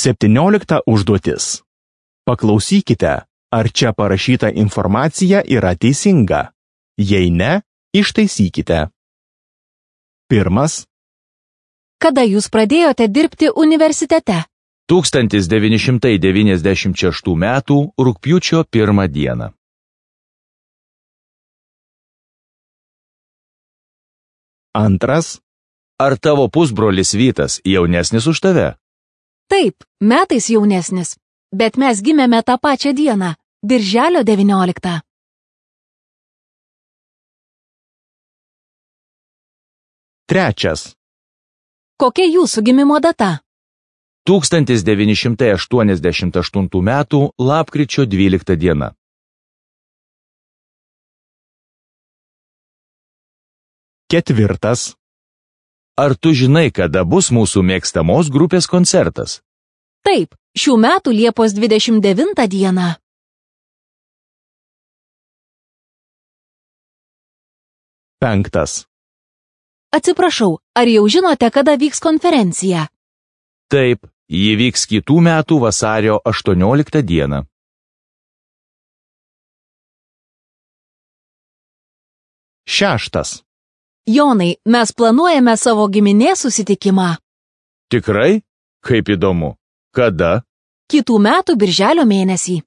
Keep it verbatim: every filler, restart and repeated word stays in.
Septyniolikta užduotis. Paklausykite, ar čia parašyta informacija yra teisinga. Jei ne, ištaisykite. Pirmas. Kada jūs pradėjote dirbti universitete? tūkstantis devyni šimtai devyniasdešimt šeštų metų rugpjūčio pirmą dieną. Antras. Ar tavo pusbrolis Vytas jaunesnis už tave? Taip, metais jaunesnis, bet mes gimėme tą pačią dieną, birželio devynioliktą. Trečias. Kokia jūsų gimimo data? tūkstantis devyni šimtai aštuoniasdešimt aštuntų metų lapkričio dvylikta diena. Ketvirtas. Ar tu žinai, kada bus mūsų mėgstamos grupės koncertas? Taip, šių metų Liepos dvidešimt devintą dieną. Penktas. Atsiprašau, ar jau žinote, kada vyks konferencija? Taip, ji vyks kitų metų vasario aštuonioliktą dieną. Šeštas. Jonai, mes planuojame savo giminės susitikimą. Tikrai? Kaip įdomu. Kada? Kitų metų birželio mėnesį.